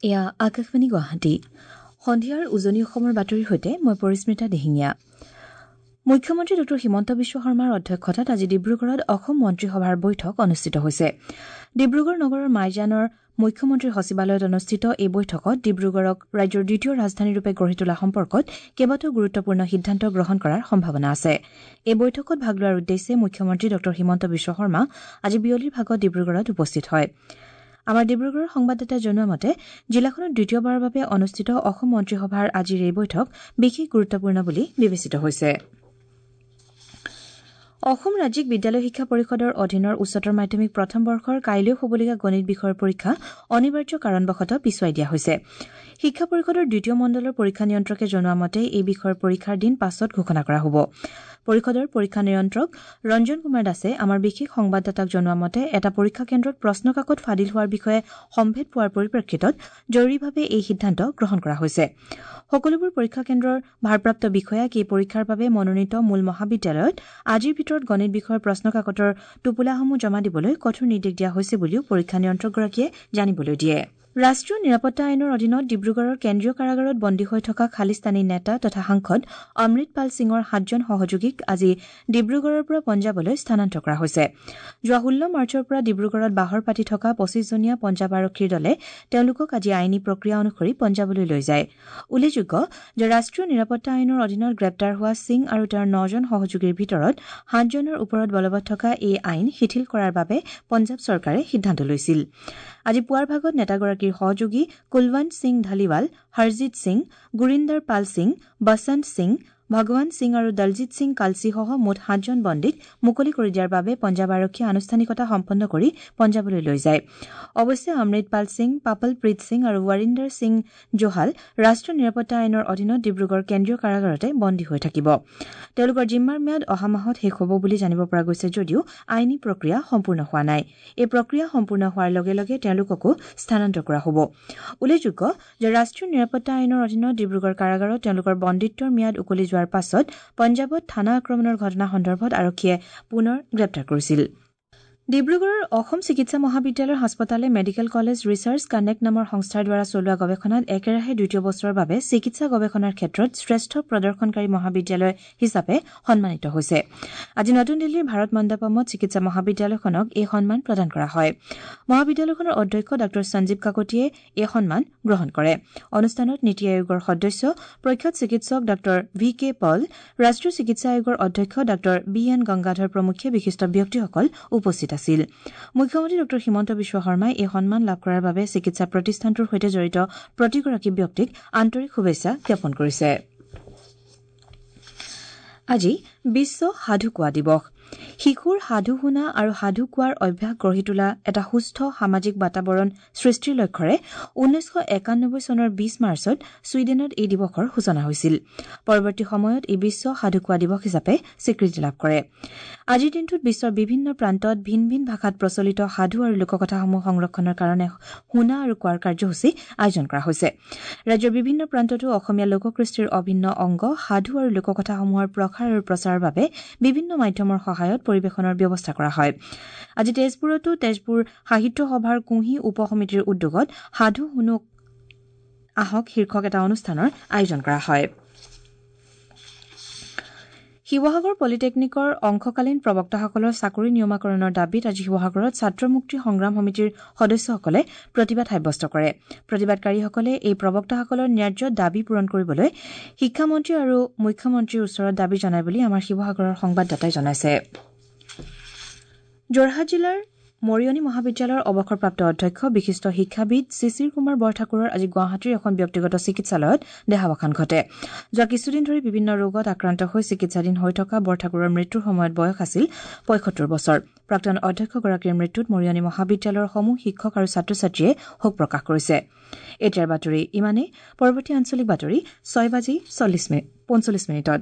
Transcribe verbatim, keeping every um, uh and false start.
এয়া আকাশবাণী গুৱাহাটী। সন্ধিয়াৰ উজনি অসমৰ বাতৰিৰ সৈতে মই পৰিস্মিতা দিহিঙীয়া। মুখ্যমন্ত্ৰী ডঃ হিমন্ত বিশ্ব শৰ্মাৰ অধ্যক্ষতাত আজি ডিব্ৰুগড়ত অসম মন্ত্ৰীসভাৰ বৈঠক অনুষ্ঠিত হৈছে। ডিব্ৰুগড় নগৰৰ মাইজানৰ মুখ্যমন্ত্ৰীৰ সচিবালয়ত অনুষ্ঠিত এই বৈঠকত ডিব্ৰুগড়ক ৰাজ্যৰ দ্বিতীয় ৰাজধানীৰূপে গঢ়ি তোলা সম্পৰ্কত কেইবাটাও গুৰুত্বপূৰ্ণ সিদ্ধান্ত গ্ৰহণ কৰাৰ সম্ভাৱনা আছে। এই বৈঠকত ভাগ লোৱাৰ উদ্দেশ্যে মুখ্যমন্ত্ৰী ডঃ হিমন্ত বিশ্ব শৰ্মা আজি বিয়লিৰ ভাগত ডিব্ৰুগড়ত উপস্থিত হয়। আমাৰ ডিব্ৰুগড়ৰ সংবাদদাতাই জনোৱা মতে জিলাখনত দ্বিতীয়বাৰৰ বাবে অনুষ্ঠিত অসম মন্ত্ৰীসভাৰ আজিৰ এই বৈঠক বিশেষ গুৰুত্বপূৰ্ণ বুলি বিবেচিত হৈছে। অসম ৰাজ্যিক বিদ্যালয় শিক্ষা পৰিষদৰ অধীনৰ উচ্চতৰ মাধ্যমিক প্ৰথম বৰ্ষৰ কাইলৈ হ'বলগীয়া গণিত বিষয়ৰ পৰীক্ষা অনিবাৰ্য কাৰণবশতঃ পিছুৱাই দিয়া হৈছে। শিক্ষা পৰিষদৰ দ্বিতীয় মণ্ডলৰ পৰীক্ষা নিয়ন্ত্ৰকে জনোৱা মতে এই বিষয়ৰ পৰীক্ষাৰ দিন পাছত ঘোষণা কৰা হ'ব। পৰিষদৰ পৰীক্ষা নিয়ন্ত্ৰক ৰঞ্জন কুমাৰ দাসে আমাৰ বিশেষ সংবাদদাতাক জনোৱা মতে এটা পৰীক্ষা কেন্দ্ৰত প্ৰশ্নকাকত ফাদিল হোৱাৰ বিষয়ে সম্ভেদ পোৱাৰ পৰিপ্ৰেক্ষিতত জৰুৰীভাৱে এই সিদ্ধান্ত গ্ৰহণ কৰা হৈছে। সকলোবোৰ পৰীক্ষা কেন্দ্ৰৰ ভাৰপ্ৰাপ্ত বিষয়াক এই পৰীক্ষাৰ বাবে মনোনীত মূল মহাবিদ্যালয়ত আজিৰ ভিতৰত গণিত বিষয়ৰ প্ৰশ্নকাকতৰ টোপোলাসমূহ জমা দিবলৈ কঠোৰ নিৰ্দেশ দিয়া হৈছে বুলিও পৰীক্ষা নিয়ন্ত্ৰকগৰাকীয়ে জানিবলৈ দিয়ে। ৰাষ্ট্ৰীয় নিৰাপত্তা আইনৰ অধীনত ডিব্ৰুগড়ৰ কেন্দ্ৰীয় কাৰাগাৰত বন্দী হৈ থকা খালিস্তানী নেতা তথা সাংসদ অমৃতপাল সিঙৰ সাতজন সহযোগীক আজি ডিব্ৰুগড়ৰ পৰা পঞ্জাৱলৈ স্থানান্তৰ কৰা হৈছে। যোৱা ষোল্ল মাৰ্চৰ পৰা ডিব্ৰুগড়ত বাহৰ পাতি থকা পঁচিছজনীয়া পঞ্জাৱ আৰক্ষীৰ দলে তেওঁলোকক আজি আইনী প্ৰক্ৰিয়া অনুসৰি পঞ্জাৱলৈ লৈ যায়। উল্লেখযোগ্য যে ৰাষ্ট্ৰীয় নিৰাপত্তা আইনৰ অধীনত গ্ৰেপ্তাৰ হোৱা সিং আৰু তেওঁৰ নজন সহযোগীৰ ভিতৰত সাতজনৰ ওপৰত বলবৎ থকা এই আইন শিথিল কৰাৰ বাবে পঞ্জাৱ চৰকাৰে সিদ্ধান্ত লৈছিল। আজি পুৱাৰ ভাগত নেতাগৰাকীৰ সহযোগী কুলৱন্ত সিং ধালিৱাল, হৰজিৎ সিং, গুৰিন্দৰ পাল সিং, বসন্ত সিং, ভগৱান সিং আৰু দলজিৎ সিং কালচীসহ মুঠ সাতজন বন্দীক মুকলি কৰি দিয়াৰ বাবে পঞ্জাৱ আৰক্ষীয়ে আনুষ্ঠানিকতা সম্পন্ন কৰি পঞ্জাৱলৈ লৈ যায়। অৱশ্যে অমৃতপাল সিং, পাপলপ্ৰীত সিং আৰু ৱৰিন্দৰ সিং জোহাল ৰাষ্ট্ৰীয় নিৰাপত্তা আইনৰ অধীনত ডিব্ৰুগড় কেন্দ্ৰীয় কাৰাগাৰতে বন্দী হৈ থাকিব। তেওঁলোকৰ জিম্মাৰ ম্যাদ অহা মাহত শেষ হ'ব বুলি জানিব পৰা গৈছে যদিও আইনী প্ৰক্ৰিয়া সম্পূৰ্ণ হোৱা নাই। এই প্ৰক্ৰিয়া সম্পূৰ্ণ হোৱাৰ লগে লগে তেওঁলোককো স্থানান্তৰ কৰা হ'ব। উল্লেখযোগ্য যে ৰাষ্ট্ৰীয় নিৰাপত্তা আইনৰ অধীনত ডিব্ৰুগড় কাৰাগাৰত তেওঁলোকৰ বন্দীত্বৰ ম্যাদ উকলি যোৱাৰ পাছত পঞ্জাৱত থানা আক্ৰমণৰ ঘটনা সন্দৰ্ভত আৰক্ষীয়ে পুনৰ গ্ৰেপ্তাৰ কৰিছিল। ডিব্ৰুগড়ৰ অসম চিকিৎসা মহাবিদ্যালয়ৰ হাস্পতালে মেডিকেল কলেজ ৰিচাৰ্চ কানেক্ট নামৰ সংস্থাৰ দ্বাৰা চলোৱা গৱেষণাত একেৰাহে দ্বিতীয় বছৰৰ বাবে চিকিৎসা গৱেষণাৰ ক্ষেত্ৰত শ্ৰেষ্ঠ প্ৰদৰ্শনকাৰী মহাবিদ্যালয় হিচাপে সন্মানিত হৈছে। আজি নতুন দিল্লীৰ ভাৰত মণ্ডপমত চিকিৎসা মহাবিদ্যালয়খনক এই সন্মান প্ৰদান কৰা হয়। মহাবিদ্যালয়খনৰ অধ্যক্ষ ডাঃ সঞ্জীৱ কাকতিয়ে এই সন্মান গ্ৰহণ কৰে। অনুষ্ঠানত নীতি আয়োগৰ সদস্য প্ৰখ্যাত চিকিৎসক ডাঃ ভি কে পল, ৰাষ্ট্ৰীয় চিকিৎসা আয়োগৰ অধ্যক্ষ ডাঃ বি এন গংগাধৰ প্ৰমুখ্যে বিশিষ্ট ব্যক্তিসকল উপস্থিত আছিল। মুখ্যমন্ত্ৰী ডঃ হিমন্ত বিশ্ব শৰ্মাই এই সন্মান লাভ কৰাৰ বাবে চিকিৎসা প্ৰতিষ্ঠানটোৰ সৈতে জড়িত প্ৰতিগৰাকী ব্যক্তিক আন্তৰিক শুভেচ্ছা জ্ঞাপন কৰিছে। আজি বিশ্ব সাধু কোৱা দিৱস। শিশুৰ সাধু শুনা আৰু সাধু কোৱাৰ অভ্যাস গঢ়ি তোলা এটা সুস্থ সামাজিক বাতাবৰণ সৃষ্টিৰ লক্ষ্যৰে ঊনৈছশ একানব্বৈ চনৰ বিশ মাৰ্চত ছুইডেনত এই দিৱসৰ সূচনা হৈছিল। পৰৱৰ্তী সময়ত ই বিশ্ব সাধু কোৱা দিৱস হিচাপে স্বীকৃতি লাভ কৰে। আজিৰ দিনটোত বিশ্বৰ বিভিন্ন প্ৰান্তত ভিন ভিন ভাষাত প্ৰচলিত সাধু আৰু লোককথাসমূহ সংৰক্ষণৰ কাৰণে শুনা আৰু কোৱাৰ কাৰ্যসূচী আয়োজন কৰা হৈছে। ৰাজ্যৰ বিভিন্ন প্ৰান্ততো অসমীয়া লোককৃষ্টিৰ অভিন্ন অংগ সাধু আৰু লোককথাসমূহৰ প্ৰসাৰ আৰু প্ৰচাৰৰ বাবে বিভিন্ন মাধ্যমৰ সহায়ত পৰিৱেশনৰ ব্যৱস্থা কৰা হয়। আজি তেজপুৰতো তেজপুৰ সাহিত্য সভাৰ কুঁহি উপ সমিতিৰ উদ্যোগত সাধু শুনক আহক শীৰ্ষক এটা অনুষ্ঠানৰ আয়োজন কৰা হয়। শিৱসাগৰ পলিটেকনিকৰ অংশকালীন প্ৰবক্তাসকলৰ চাকৰি নিয়মাকৰণৰ দাবীত আজি শিৱসাগৰত ছাত্ৰ মুক্তি সংগ্ৰাম সমিতিৰ সদস্যসকলে প্ৰতিবাদ সাব্যস্ত কৰে। প্ৰতিবাদকাৰীসকলে এই প্ৰবক্তাসকলৰ ন্যায্য দাবী পূৰণ কৰিবলৈ শিক্ষামন্ত্ৰী আৰু মুখ্যমন্ত্ৰীৰ ওচৰত দাবী জনায় বুলি আমাৰ শিৱসাগৰৰ সংবাদদাতাই জনাইছে। যোৰহাট জিলাৰ মৰিয়নি মহাবিদ্যালয়ৰ অৱসৰপ্ৰাপ্ত অধ্যক্ষ বিশিষ্ট শিক্ষাবিদ শিশিৰ কুমাৰ বৰঠাকুৰৰ আজি গুৱাহাটীৰ এখন ব্যক্তিগত চিকিৎসালয়ত দেহাৱসান ঘটে। যোৱা কিছুদিন ধৰি বিভিন্ন ৰোগত আক্ৰান্ত হৈ চিকিৎসাধীন হৈ থকা বৰঠাকুৰৰ মৃত্যুৰ সময়ত বয়স আছিল পঁয়সত্তৰ বছৰ। প্ৰাক্তন অধ্যক্ষগৰাকীৰ মৃত্যুত মৰিয়নি মহাবিদ্যালয়ৰ সমূহ শিক্ষক আৰু ছাত্ৰ ছাত্ৰীয়ে শোক প্ৰকাশ কৰিছে। এতিয়াৰ বাতৰি ইমানেই। পৰৱৰ্তী আঞ্চলিক বাতৰি ছয় বাজি চল্লিছ মিনিট পঞ্চল্লিছ মিনিটত।